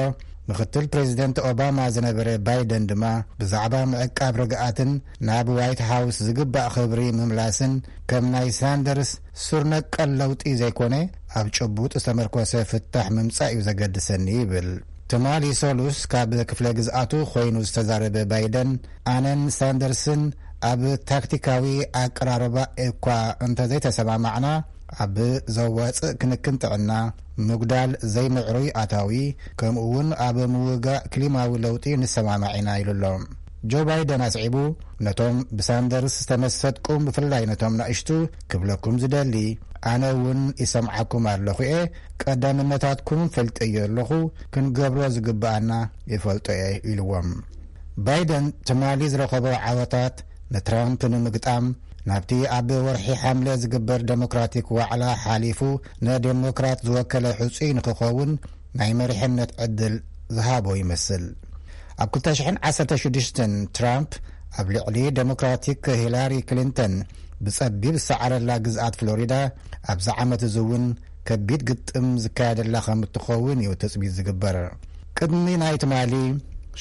ምኽትል ፕሬዚደንት ኦባማ ዝነበረ ባይደን ድማ ብዛዕባ ምዕቃብ ርግኣትን ናብ ዋይት ሃውስ ዝግባእ ክብሪ ምምላስን ከም ናይ ሳንደርስ ሱር ነቀል ለውጢ ዘይኮነ፣ ኣብ ጭቡጥ ዝተመርኮሰ ፍታሕ ምምጻእ እዩ ዘገድሰኒ ይብል። ትማሊ ሰሉስ ካብ ክፍለ ግዝኣቱ ኮይኑ ዝተዛረበ ባይደን፣ ኣነን ሳንደርስን ኣብ ታክቲካዊ ኣቀራርባ እኳ እንተዘይተሰማማዕና፣ ኣብ ዘዋጽእ ክንክን ጥዕና፣ ምጉዳል ዘይምዕሩይ ኣታዊ፣ ከምኡ እውን ኣብ ምውጋእ ክሊማዊ ለውጢ ንሰማማዕ ኢና ኢሉ ኣሎ። ጆ ባይደን ኣስዒቡ፣ ነቶም ብሳንደርስ ዝተመሰጥኩም፣ ብፍላይ ነቶም ናእሽቱ፣ ክብለኩም ዝደሊ፣ ኣነ እውን ይሰምዓኩም ኣለኹ እየ፣ ቀዳምነታትኩም ፈልጠዮ ኣለኹ፣ ክንገብሮ ዝግብኣና ይፈልጦ እየ ኢልዎም። ባይደን ትማሊ ዝረኸቦ ዓወታት ንትራምፕ ንምግጣም፣ ናብቲ ኣብ ወርሒ ሓምለ ዝግበር ዴሞክራቲክ ዋዕላ ሓሊፉ ንዴሞክራት ዝወከለ ሕጹይ ንክኸውን ናይ መሪሕነት ዕድል ዝሃቦ ይመስል። ኣብ ክልተ ሽሕን ዓሰርተ ሽዱሽተን ትራምፕ ኣብ ልዕሊ ዴሞክራቲክ ሂላሪ ክሊንተን ብጸቢብ ዝሰዓረላ ግዝኣት ፍሎሪዳ፣ ኣብዚ ዓመት እዚ እውን ከቢድ ግጥም ዝካየደላ ከም እትኸውን እዩ ትጽቢት ዝግበር። ቅድሚ ናይ ትማሊ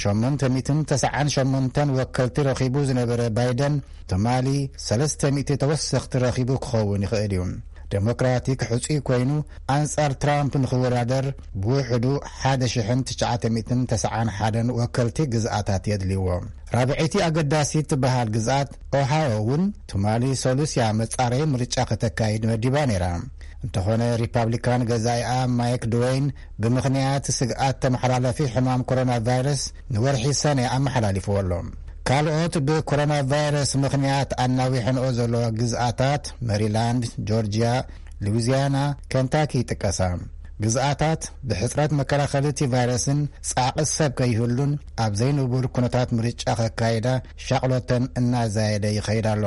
ሸሞንተ ሚእትን ተስዓን ሸሞንተን ወከልቲ ረኺቡ ዝነበረ ባይደን፣ ትማሊ ሰለስተ ሚእቲ ተወሰኽቲ ረኺቡ ክኸውን ይኽእል እዩ። ዴሞክራቲክ ሕጹይ ኮይኑ ኣንጻር ትራምፕ ንኽወዳደር ብውሕዱ ሓደ ሽሕን ትሽዓተ ሚእትን ተስዓን ሓደን ወከልቲ ግዝኣታት የድልይዎ። ራብዐይቲ ኣገዳሲት ትበሃል ግዝኣት ኦሃዮ እውን ትማሊ ሰሉስ እያ መጻረዪ ምርጫ ከተካይድ መዲባ ነይራ። እንተኾነ ሪፓብሊካን ገዛኢኣ ማይክ ድወይን ብምኽንያት ስግኣት ተመሓላለፊ ሕማም ኮሮና ቫይረስ ንወርሒ ሰነ ኣመሓላሊፍዎ ኣሎ። ካልኦት ብኮሮና ቫይረስ ምኽንያት ኣናዊሐንኦ ዘለዋ ግዝኣታት መሪላንድ፣ ጆርጅያ፣ ሉዊዚያና፣ ኬንታኪ ይጥቀሳ። ግዝኣታት ብሕጽረት መከላኸሊ እቲ ቫይረስን ጻዕቒ ሰብ ከይህሉን ኣብ ዘይንቡር ኩነታት ምርጫ ከካይዳ ሻቕሎተን እናዛየደ ይኸይድ ኣሎ።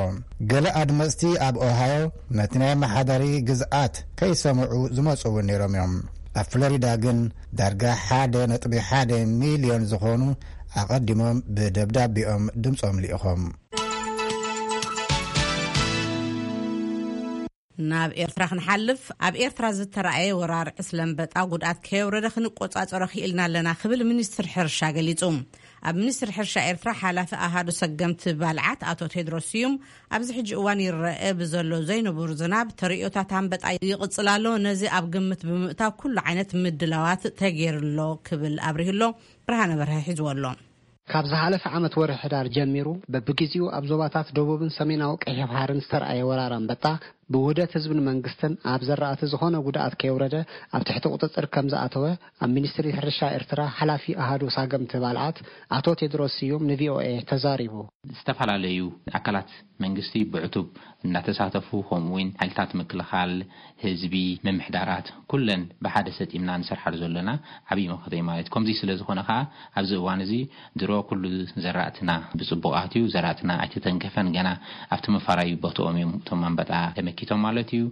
ገለ ኣድመጽቲ ኣብ ኦሃዮ ነቲ ናይ ኣመሓዳሪ ግዝኣት ከይሰምዑ ዝመጹ እውን ነይሮም እዮም። ኣብ ፍሎሪዳ ግን ዳርጋ ሓደ ነጥቢ ሓደ ሚልዮን ዝኾኑ ኣቐዲሞም ብደብዳቤኦም ድምጾም ልኢኾም። ናብ ኤርትራ ክንሓልፍ፣ ኣብ ኤርትራ ዝተራእየ ወራር ዕስለ ኣንበጣ ጉድኣት ከየውረደ ክንቆጻጸሮ ክኢልና ኣለና ክብል ሚኒስትር ሕርሻ ገሊጹ። ኣብ ሚኒስትሪ ሕርሻ ኤርትራ ሓላፊ ኣሃዱ ሰገምቲ ባልዓት ኣቶ ቴድሮስ ስዩም፣ ኣብዚ ሕጂ እዋን ይረአ ብዘሎ ዘይንቡር ዝናብ ተርእዮታት ኣንበጣ ይቕጽል ኣሎ። ነዚ ኣብ ግምት ብምእታው ኩሉ ዓይነት ምድላዋት ተገይሩ ኣሎ ክብል ኣብሪሁ ኣሎ። ብርሃነ በርሀ ሒዝዎ ኣሎ። ካብ ዝሓለፈ ዓመት ወርሒ ሕዳር ጀሚሩ በብግዜኡ ኣብ ዞባታት ደቡብን ሰሜናዊ ቀይሕ ባሕርን ዝተራእየ ወራር ኣንበጣ ብውህደት ህዝብን መንግስትን ኣብ ዘራእቲ ዝኾነ ጉድኣት ከየውረደ ኣብ ትሕቲ ቁፅፅር ከም ዝኣተወ ኣብ ሚኒስትሪ ሕርሻ ኤርትራ ሓላፊ ኣሃዱ ሳገምቲ ባልዓት ኣቶ ቴድሮስ ስዩም ንቪኦኤ ተዛሪቡ። ዝተፈላለዩ ኣካላት መንግስቲ ብዕቱብ እናተሳተፉ፣ ከምኡ እውን ሓይልታት ምክልኻል፣ ህዝቢ፣ ምምሕዳራት፣ ኩለን ብሓደ ሰጢምና ንሰርሓሉ ዘለና ዓብዪ መኸተ እዩ ማለት እዩ። ከምዚ ስለ ዝኾነ ከዓ ኣብዚ እዋን እዚ ድሮ ኩሉ ዘራእትና ብፅቡቕ ኣትዩ፣ ዘራእትና ኣይተተንከፈን፣ ገና ኣብቲ መፋራዩ ቦትኦም እዮም እቶም ኣንበጣ ተመኪቶም ማለት እዩ።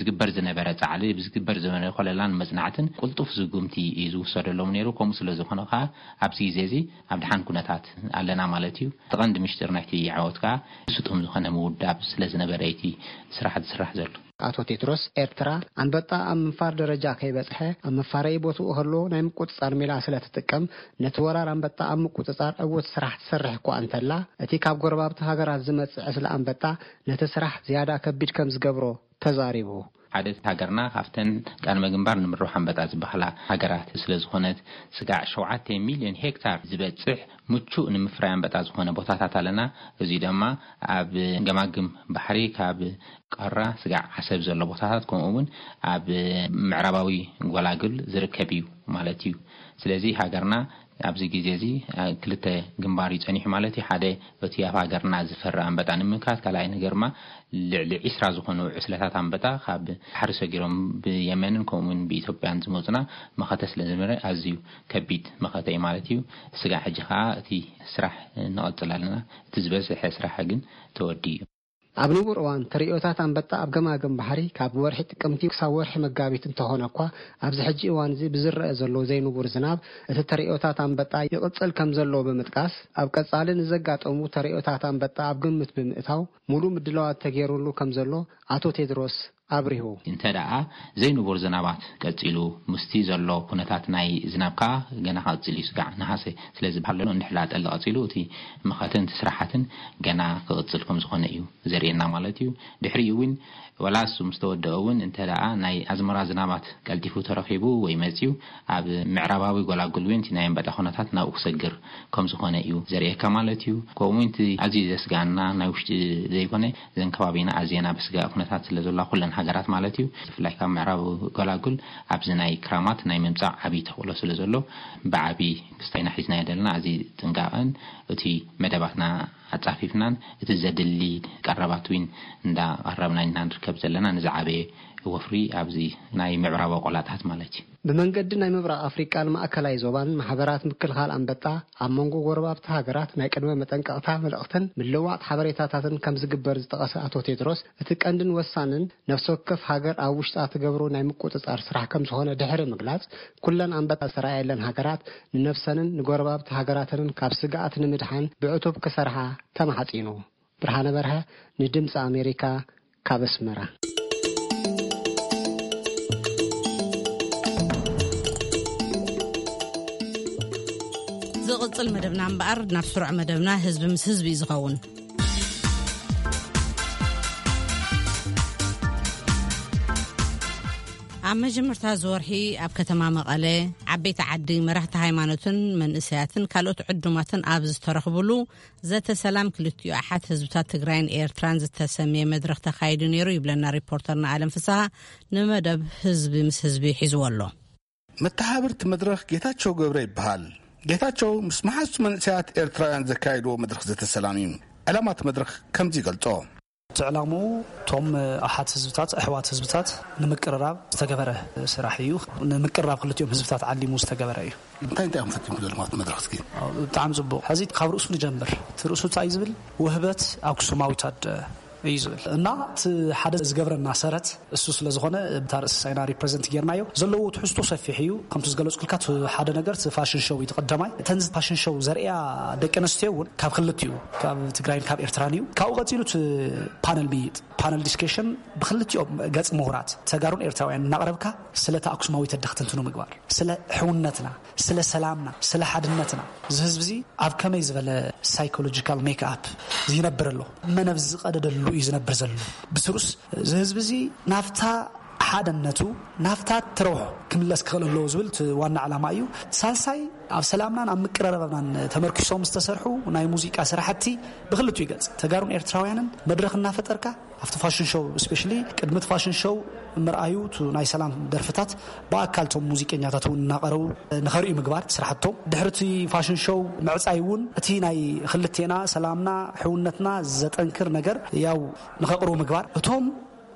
ዝግበር ዝነበረ ፃዕሊ፣ ዝግበር ዝነበረ ኮለላን መፅናዕትን ቅልጡፍ ስጉምቲ እዩ ዝውሰደሎም ነይሩ። ከምኡ ስለ ዝኾነ ከዓ ኣብዚ ግዜ እዚ ኣብ ድሓን ኩነታት ኣለና ማለት እዩ። እቲ ቀንዲ ምሽጢር ናይቲ ዓወት ከዓ ስጡም ዝኾነ ምውዳብ ስለ ዝነበረ እቲ ስራሕ ዝስራሕ ዘሎ። ኣቶ ቴድሮስ፣ ኤርትራ ኣንበጣ ኣብ ምንፋር ደረጃ ከይበጽሐ ኣብ መፋረዪ ቦትኡ ከሎ ናይ ምቁጽጻር ሜላ ስለ ትጥቀም፣ ነቲ ወራር ኣንበጣ ኣብ ምቁጽጻር ዕዉት ስራሕ ትሰርሕ እኳ እንተላ፣ እቲ ካብ ጎረባብቲ ሃገራት ዝመጽእ ዕስለ ኣንበጣ ነቲ ስራሕ ዝያዳ ከቢድ ከም ዝገብሮ ተዛሪቡ። ሓደ ሃገርና ካብተን ቀድመ ግንባር ንምርባሕ ኣንበጣ ዝበሃላ ሃገራት ስለ ዝኾነት፣ ስጋዕ ሸውዓተ ሚልዮን ሄክታር ዝበጽሕ ምቹእ ንምፍራይ ኣንበጣ ዝኾነ ቦታታት ኣለና። እዚ ድማ ኣብ ገማግም ባሕሪ ካብ ቀራ ስጋዕ ዓሰብ ዘሎ ቦታታት፣ ከምኡ እውን ኣብ ምዕራባዊ ጎላጉል ዝርከብ እዩ ማለት እዩ። ስለዚ ሃገርና ኣብዚ ግዜ እዚ፣ አ፣ ክልተ ግንባር እዩ ጸኒሑ ማለት እዩ። ሓደ እቲ ኣብ ሃገርና ዝፈሪ ኣንበጣ ንምምካት፣ ካልኣይ ነገር ድማ ልዕሊ ዒስራ ዝኾኑ ዕስለታት ኣንበጣ ካብ ባሕሪ ሰጊሮም ብየመንን ከምኡ እውን ብኢትዮጵያን ዝመጹና መኸተ ስለ ዝነበረ ኣዝዩ ከቢድ መኸተ እዩ ማለት እዩ። ስጋዕ ሕጂ ከኣ እቲ ስራሕ ንቐጽል ኣለና። እቲ ዝበዝሐ ስራሕ ግን ተወዲኡ እዩ። ኣብ ንቡር እዋን ተርእዮታት ኣንበጣ ኣብ ገማግም ባሕሪ ካብ ወርሒ ጥቅምቲ ክሳብ ወርሒ መጋቢት እንተኾነ እኳ፣ ኣብዚ ሕጂ እዋን እዚ ብዝረአ ዘሎ ዘይንቡር ዝናብ እቲ ተርእዮታት ኣንበጣ ይቕጽል ከም ዘሎ ብምጥቃስ፣ ኣብ ቀጻሊ ንዘጋጠሙ ተርእዮታት ኣንበጣ ኣብ ግምት ብምእታው ሙሉእ ምድላዋት ተገይሩሉ ከም ዘሎ ኣቶ ቴድሮስ ኣብሪሁ። እንተ ደኣ ዘይንቡር ዝናባት ቀጺሉ፣ ምስቲ ዘሎ ኩነታት ናይ ዝናብ ከኣ ገና ክቕጽል እዩ። ስጋዕ ነሃሰ ስለ ዝበሃል ዘሎ፣ እንድሕር ደኣ ጠሊ ቀጺሉ፣ እቲ መኸተን እቲ ስራሓትን ገና ክቕጽል ከም ዝኾነ እዩ ዘርእየና ማለት እዩ። ድሕሪኡ እውን፣ ወላ እሱ ምስ ተወደኦ እውን፣ እንተ ደኣ ናይ ኣዝመራ ዝናባት ቀልጢፉ ተረኺቡ ወይ መጺኡ፣ ኣብ ምዕራባዊ ጎላጉል እውን እቲ ናይ ኣንበጣ ኩነታት ናብኡ ክሰግር ከም ዝኾነ እዩ ዘርእየካ ማለት እዩ። ከምኡ እውን እቲ ኣዝዩ ዘስግኣና ናይ ውሽጢ ዘይኮነ፣ እዘን ከባቢና ኣዝየን ኣብ ስጋእ ኩነታት ስለ ዘለዋ፣ ኩለን ሃገራት ማለት እዩ፣ ብፍላይ ካብ ምዕራብ ጎላጉል ኣብዚ ናይ ክራማት ናይ ምምጻእ ዓብዪ ተኽእሎ ስለ ዘሎ፣ ብዓቢ ክስታይና ሒዝናዮ ዘለና ኣዝዩ ጥንቃቐን እቲ መደባትና ኣጻፊፍናን እቲ ዘድሊ ቀረባት እውን እንዳቐረብና ኢና ንርከብ ዘለና፣ ንዝዓበየ ወፍሪ ኣብዚ ናይ ምዕራብ ቆላታት ማለት እዩ። ብመንገዲ ናይ ምብራቕ ኣፍሪቃን ማእከላይ ዞባን ማሕበራት ምክልኻል ኣንበጣ ኣብ መንጎ ጎረባብቲ ሃገራት ናይ ቅድመ መጠንቀቕታ መልእኽትን ምልውዋጥ ሓበሬታታትን ከም ዝግበር ዝጠቐሰ ኣቶ ቴድሮስ፣ እቲ ቀንድን ወሳንን ነፍሲ ወከፍ ሃገር ኣብ ውሽጣ ትገብሮ ናይ ምቁጽጻር ስራሕ ከም ዝኾነ ድሕሪ ምግላጽ፣ ኩለን ኣንበጣ ዝተረኣየለን ሃገራት ንነፍሰንን ንጎረባብቲ ሃገራተንን ካብ ስግኣት ንምድሓን ብዕቱብ ክሰርሓ ተማሕጺኑ። ብርሃነ በርሀ ንድምፂ ኣሜሪካ ካብ ኣስመራ። ዝቕጽል መደብና እምበኣር፣ ናብ ስሩዕ መደብና ህዝቢ ምስ ህዝቢ እዩ ዝኸውን። ኣብ መጀመርታ ዝወርሒ ኣብ ከተማ መቐለ፣ ዓበይቲ ዓዲ፣ መራሕቲ ሃይማኖትን መንእሰያትን ካልኦት ዕዱማትን ኣብ ዝተረኽብሉ፣ ዘተ ሰላም ክልቲኡ ኣሓት ህዝብታት ትግራይን ኤርትራን ዝተሰምየ መድረኽ ተኻይዱ ነይሩ ይብለና ሪፖርተርና ኣለም ፍስሃ፣ ንመደብ ህዝቢ ምስ ህዝቢ ሒዝዎ ኣሎ። መተሓባብርቲ መድረኽ ጌታቸው ገብረ ይበሃል። ጌታቸው ምስ መሓዝቱ መንእሰያት ኤርትራውያን ዘካየድዎ መድረኽ ዘተ ሰላም እዩ። ዕላማ እቲ መድረኽ ከምዚ ይገልጾ። እቲ ዕላምኡ እቶም ኣሓት ህዝብታት፣ ኣሕዋት ህዝብታት ንምቅርራብ ዝተገበረ ስራሕ እዩ። ንምቅርራብ ክልቲኦም ህዝብታት ዓሊሙ ዝተገበረ እዩ። እንታይ እንታይ እዮም ፈቲኹም ዘለኹም ኣብቲ መድረኽ እስኪ? ብጣዕሚ ጽቡቕ። ሕዚ ካብ ርእሱ ንጀምር። እቲ ርእሱ እንታይ እዩ ዝብል? ውህበት ኣክሱማዊት ኣደ እዩ ዝብል። እና እቲ ሓደ ዝገብረና ሰረት እሱ ስለ ዝኾነ፣ እታ ርእሲ ሳይና ሪፕረዘንት ጌርናዮ። ዘለዎ ትሕዝቶ ሰፊሕ እዩ። ከምቲ ዝገለጽኩልካ፣ እቲ ሓደ ነገር እቲ ፋሽን ሾው እዩ፣ እቲ ቀዳማይ። እተን ፋሽን ሾው ዘርእያ ደቂ ኣንስትዮ እውን ካብ ክልቲኡ፣ ካብ ትግራይን ካብ ኤርትራን እዩ። ካብኡ ቀጺሉ እቲ ፓነል ምይይጥ፣ ፓነል ዲስከሽን ብክልቲኦም ገጽ ምሁራት ተጋሩን ኤርትራውያን እናቕረብካ፣ ስለታ ኣክሱማዊት ኣደ ክትንትኑ ምግባር፣ ስለ ሕውነትና፣ ስለ ሰላምና፣ ስለ ሓድነትና፣ እዚ ህዝቢ እዚ ኣብ ከመይ ዝበለ ሳይኮሎጂካል ሜክኣፕ ይነብር ኣሎ፣ መን ኣብ ዝቐደደሉ እዩ ዝነብር ዘሎ? ብስሩስ እዚ ህዝቢ እዚ ናብታ ሓደነቱ ናብታ ትረውሖ ክምለስ ክኽእል ኣለዎ ዝብል እቲ ዋና ዕላማ እዩ። ሳልሳይ ኣብ ሰላምናን ኣብ ምቅረረብናን ተመርኪሶም ዝተሰርሑ ናይ ሙዚቃ ስራሕቲ ብክልቲኡ ገጽ ተጋሩን ኤርትራውያንን መድረኽ እናፈጠርካ ኣብቲ ፋሽን ሾው ስፔሻሊ ቅድሚ እቲ ፋሽን ሾው ምርኣዩ፣ እቲ ናይ ሰላም ደርፍታት ብኣካል እቶም ሙዚቀኛታት እውን እናቐረቡ ንኸርእዩ ምግባር እቲ ስራሕቶም። ድሕሪ እቲ ፋሽን ሾው ምዕጻይ እውን እቲ ናይ ክልቴና ሰላምና ሕውነትና ዘጠንክር ነገር ያው ንኸቕርቡ ምግባር። እቶም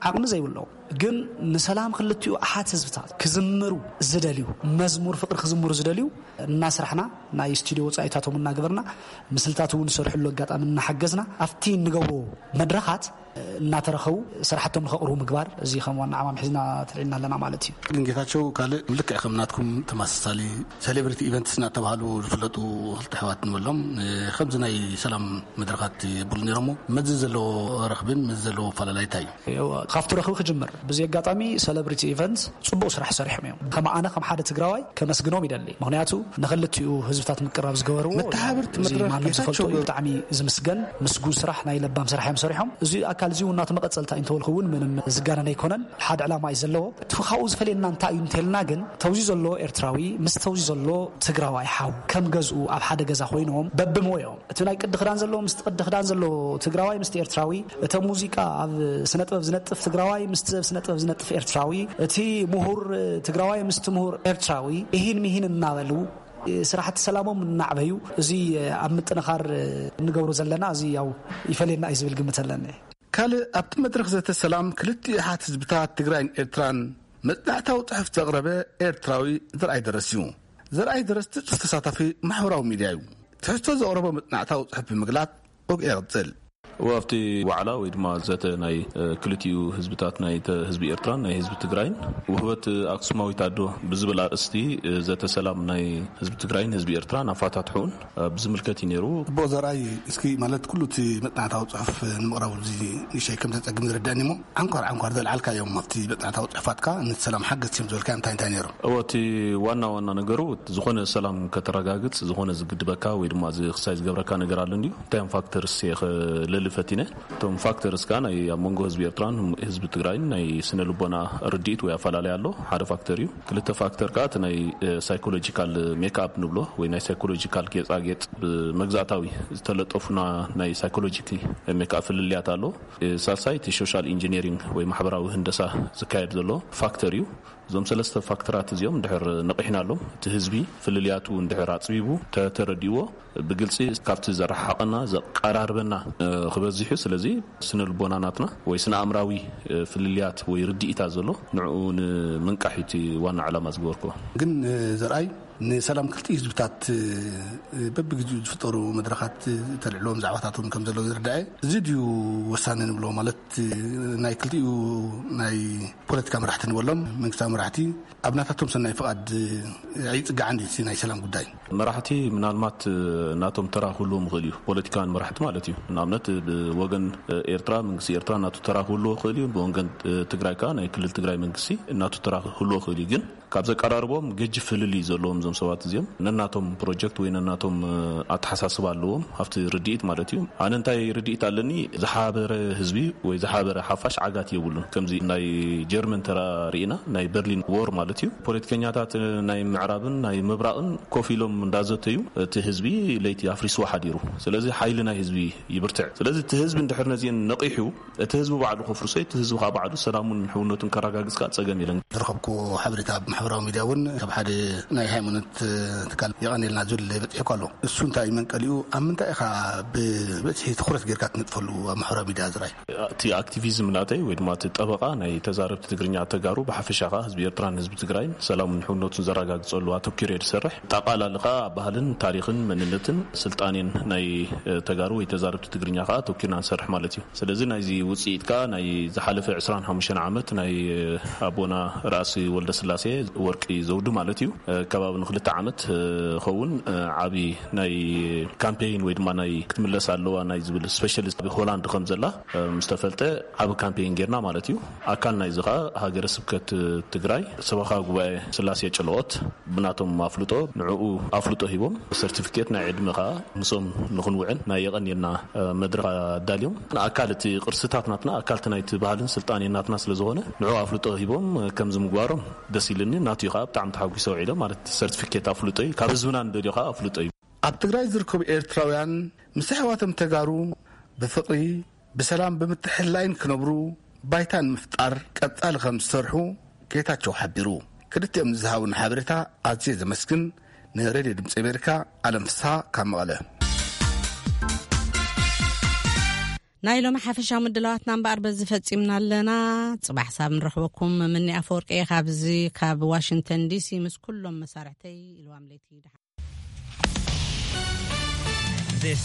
ዓቕሚ ዘይብሎም ግን ንሰላም ክልቲኡ ኣሓት ህዝብታት ክዝምሩ ዝደልዩ፣ መዝሙር ፍቕሪ ክዝምሩ ዝደልዩ እናስራሕና፣ ናይ ስቱዲዮ ወጻኢታቶም እናገበርና፣ ምስልታት እውን ዝሰርሕሉ ኣጋጣሚ እናሓገዝና፣ ኣብቲ እንገብሮ መድረኻት እናተረኸቡ ስራሕቶም ንኸቕርቡ ምግባር፣ እዚ ከም ዋና ዓማም ሒዝና ተልዒልና ኣለና ማለት እዩ። ግን ጌታቸው፣ ካልእ ልክዕ ከም ናትኩም ተመሳሳሊ ሴሌብሪቲ ኢቨንትስ እናተባህሉ ዝፍለጡ ክልተ ኣሕዋት ንበሎም፣ ከምዚ ናይ ሰላም መድረኻት የብሉ ነይሮሞ። መዚ ዘለዎ ረኽብን መዚ ዘለዎ ኣፈላላይ እንታይ እዩ? ካብቲ ረኽቢ ክጅምር። ብዚ ኣጋጣሚ ሴሌብሪቲ ኢቨንትስ ጽቡቕ ስራሕ ሰሪሖም እዮም። ከም ኣነ ከም ሓደ ትግራዋይ ከመስግኖም ይደሊ። ምኽንያቱ ንኽልቲኡ ህዝብታት ምቅራብ ዝገበርዎ መተሓባበርቲ እዚ መድረኽ ማንም ጌታቸው ዝፈልጦ እዩ። ገብሩ። ብጣዕሚ ዝምስገን ምስጉን ስራሕ ናይ ለባም ስራሕ እዮም ሰሪሖም። እዚ ኣካል እዚ እውን ናቱ መቐጸልታ እዩ እንተበልኩ እውን ምንም ዝጋነን ኣይኮነን። ሓደ ዕላማ እዩ ዘለዎ። እቲ ካብኡ ዝፈልየና እንታይ እዩ እንተልና ግን ተውዚ ዘሎ ኤርትራዊ ምስ ተውዚ ዘሎ ትግራዋይ ሓው ከም ገዝኡ ኣብ ሓደ ገዛ ኮይኖም በብሞዮም እቲ ናይ ቅዲ ክዳን ዘለዎ ምስቲ ቅዲ ክዳን ዘለዎ ትግራዋይ ምስቲ ኤርትራዊ፣ እተ ሙዚቃ ኣብ ስነ ጥበብ ዝነጥፍ ትግራዋይ ምስቲ ኣብ ስነ ጥበብ ዝነጥፍ ኤርትራዊ፣ እቲ ምሁር ትግራዋይ ምስቲ ምሁር ኤርትራዊ፣ እሂን ምሂን እናበሉ ስራሕቲ ሰላሞም እናዕበዩ፣ እዚ ኣብ ምጥንኻር እንገብሮ ዘለና እዚ ያው ይፈልየና እዩ ዝብል ግምት ኣለኒ። ካልእ ኣብቲ መድረኽ ዘተ ሰላም ክልቲኡ ኣሓት ህዝብታት ትግራይን ኤርትራን መጽናዕታዊ ጽሑፍ ዘቕረበ ኤርትራዊ ዘርኣይ ደረስ እዩ። ዘርኣይ ደረስ ትጹር ተሳታፊ ማሕበራዊ ሚድያ እዩ። ትሕዝቶ ዘቕረቦ መጽናዕታዊ ጽሑፍ ብምግላጽ፣ ኦግ የቕጽል። ኣብቲ ዋዕላ ወይ ድማ ዘተ ናይ፣ እ፣ ክልቲኡ ህዝብታት፣ ናይ ተ-፣ ህዝቢ ኤርትራን ናይ ህዝቢ ትግራይን፣ ውህበት ኣክሱማዊት ኣዶ ብዝብል ኣርእስቲ፣ እ፣ ዘተ ሰላም ናይ ህዝቢ ትግራይን ህዝቢ ኤርትራን ኣፋታትሑን፣ እ፣ ብዝምልከት እዩ ነይሩ። ጽቡቕ ዘርኣይ፣ እስኪ ማለት ኩሉ እቲ መጽናዕታዊ ጽሑፍ ንምቕራቡ እዚ ንእሽተይ ከም ዘጸግም ዝርዳእኒ እሞ፣ ዓንኳር ዓንኳር ዘልዓልካዮም ኣብቲ መጽናዕታዊ ጽሑፋትካ ነቲ ሰላም ሓገዝቲ እዮም ዝበልካዮም እንታይ እንታይ ነይሮም? እወ፣ እቲ ዋና ዋና ነገሩ ዝኾነ ሰላም ከተረጋግጽ ዝኾነ ዝግድበካ ወይ ድማ ዚ-፣ ክሳይ ዝገብረካ ነገር ኣሎ እንድዩ። እንታይ እዮም ፋክተርስ እየ ከለሊ ፈቲነ። እቶም ፋክተርስ ከኣ ናይ ኣብ መንጎ ህዝቢ ኤርትራን ህዝቢ ትግራይን ናይ ስነ ልቦና ርድኢት ወይ ኣፈላለይ ኣሎ፣ ሓደ ፋክተር እዩ። ክልተ ፋክተር ከኣ እቲ ናይ፣ እ፣ ሳይኮሎጂካል ሜክኣፕ ንብሎ ወይ ናይ ሳይኮሎጂካል ጌጻጌጥ ብመግዛእታዊ ዝተለጠፉና ናይ ሳይኮሎጂክ ሜክኣፕ ፍልልያት ኣሎ። ሳልሳይ እቲ ሶሻል ኢንጂነሪንግ ወይ ማሕበራዊ ህንደሳ ዝካየድ ዘሎ ፋክተር እዩ። እዞም ሰለስተ ፋክተራት እዚኦም እንድሕር ነቒሕናሎም፣ እቲ ህዝቢ ፍልልያቱ እንድሕር ኣጽቢቡ፣ ተተረዲእዎ፣ ብግልጺ ካብቲ ዘረሓሓቐና ዘቀራርበና፣ እ፣ ክበዝሕ እዩ። ስለዚ ስነ ልቦና ናትና ወይ ስነ ኣእምራዊ፣ እ፣ ፍልልያት ወይ ርድኢታ ዘሎ ንዕኡ ንምንቃሕ እዩ እቲ ዋና ዕላማ ዝገበርክዎ። ግን፣ እ፣ ዘርኣይ ንሰላም ክልቲኡ ህዝብታት፣ እ፣ በብግዜኡ ዝፍጠሩ መድረኻት፣ እ፣ ተልዕልዎም ዛዕባታት እውን ከም ዘለዉ ዝርዳኤ። እዚ ድዩ ወሳኒ ንብሎ? ማለት፣ እ፣ ናይ ክልቲኡ ናይ ፖለቲካ መራሕቲ ንበሎም፣ መንግስታዊ መራሕቲ ኣብ ናታቶም ሰናይ ፍቓድ፣ እ፣ ኣይጽጋዕን ድዩ እቲ ናይ ሰላም ጉዳይ? መራሕቲ ምናልባት፣ እ፣ ናቶም ተራ ክህልዎም ይኽእል እዩ፣ ፖለቲካውያን መራሕቲ ማለት እዩ። ንኣብነት ብወገን፣ እ፣ ኤርትራ፣ መንግስቲ ኤርትራ ናቱ ተራ ክህልዎ ይኽእል እዩ። ብወገን፣ እ፣ ትግራይ ከኣ ናይ ክልል ትግራይ መንግስቲ ናቱ ተራ ክህልዎ ይኽእል እዩ። ግን ካብ ዘቀራርቦም ገጅፍ ፍልልይ ዘለዎም እዞም ሰባት እዚኦም ነናቶም ፕሮጀክት ወይ ነናቶም፣ እ፣ ኣተሓሳስባ ኣለዎም፣ ኣብቲ ርድኢት ማለት እዩ። ኣነ እንታይ ርድኢት ኣለኒ፣ ዝሓበረ ህዝቢ ወይ ዝሓበረ ሓፋሽ ዓጋት የብሉን። ከምዚ ናይ ጀርመን ተራ ርኢና፣ ናይ በርሊን ዎር ማለት እዩ። ፖለቲከኛታት ናይ ምዕራብን ናይ ምብራቕን ኮፍ ኢሎም እንዳዘተዩ፣ እቲ ህዝቢ ለይቲ ኣፍሪስዎ ሓዲሩ። ስለዚ ሓይሊ ናይ ህዝቢ ይብርትዕ። ስለዚ እቲ ህዝቢ እንድሕር ነዚአን ነቒሑ፣ እቲ ህዝቢ ባዕሉ ከፍርሶ፣ እቲ ህዝቢ ከኣ ባዕሉ ሰላሙን ሕውነቱን ከረጋግጽ ከኣ ጸገም የለን። ዝረኸብኩዎ ሓበሬታ ኣብ ማሕበራዊ ሚድያ እውን ካብ ሓደ ናይ ሃይማኖት ትካል የቐንየልና ዝብል በጺሑካ ኣሎ። እሱ እንታይ እዩ መንቀሊኡ? ኣብ ምንታይ ኢኻ ብብዝሒ ትኹረት ጌርካ ትነጥፈሉ ኣብ ማሕበራዊ ሚድያ ዝረኣይ? እቲ ኣክቲቪዝም ናተይ ወይ ድማ እቲ ጠበቓ ናይ ተዛረብቲ ትግርኛ ተጋሩ ብሓፈሻ ከኣ ህዝቢ ኤርትራን ህዝቢ ትግራይን ሰላሙን ሕውነቱን ዘረጋግጸሉ ኣተኲረ እየ ዝሰርሕ። ጠቓላሊ ከኣ ኣብ ባህልን ታሪኽን መንነትን ስልጣኔን ናይ፣ እ፣ ተጋሩ ወይ ተዛረብቲ ትግርኛ ከኣ ኣተኲርና ንሰርሕ ማለት እዩ። ስለዚ ናይዚ ውጽኢት ከኣ ናይ ዝሓለፈ ዕስራን ሓሙሽተን ዓመት ናይ ኣቦና ራእሲ ወልደስላሴ ወርቂ ዘውዱ ማለት እዩ። ከባቢ ንክልተ ዓመት ኸውን ዓቢ ናይ ካምፔይን ወይ ድማ ናይ ክትምለስ ኣለዋ ናይ ዝብል ስፔሻሊስት ኣብ ሆላንድ ከም ዘላ ምስ ተፈልጠ ዓቢ ካምፔይን ጌርና ማለት እዩ። ኣካል ናይዚ ከኣ ሃገረ ስብከት ትግራይ ሰበኻ ጉባኤ ስላሴ ጨለኦት ብናቶም ኣፍልጦ ንዕኡ ኣፍልጦ ሂቦም፣ ሰርቲፊኬት ናይ ዕድመ ከዓ ምስኦም ንኽንውዕል ናይ የቐንየልና መድረኽ ኣዳልዮም። ንኣካል እቲ ቅርስታት ናትና፣ ኣካል እቲ ናይቲ ባህልን ስልጣኔ ናትና ስለ ዝኾነ፣ ንዑ ኣፍልጦ ሂቦም ከምዚ ምግባሮም ደስ ኢልኒ። ናትዩ ከዓ ብጣዕሚ ተሓጒሰ ውዒሎም። ማለት ሰርቲፊኬት ኣፍልጦ እዩ፣ ካብ ህዝብና ንደልዮ ከዓ ኣፍልጦ እዩ። ኣብ ትግራይ ዝርከቡ ኤርትራውያን ምስ ኣሕዋቶም ተጋሩ ብፍቕሪ፣ ብሰላም ብምትሕልላይን ክነብሩ ባይታ ንምፍጣር ቀጻሊ ከም ዝሰርሑ ጌታቸው ሓቢሩ። ክልቲኦም ንዝሃቡን ሓበሬታ ኣዝየ ዘመስግን። ንሬድዮ ድምፂ ኣሜሪካ፣ ኣለም ፍስሃ ካብ መቐለ። ናይ ሎሚ ሓፈሻዊ ምድላዋትና እምበኣር በዚ ፈጺምና ኣለና። ጽባሕ ሳብ ንረኽበኩም። ምኒ ኣፈወርቂ እየ ካብዚ ካብ ዋሽንግተን ዲሲ ምስ ኩሎም መሳርሕተይ ኢልዋም ለይቲ ድሓን።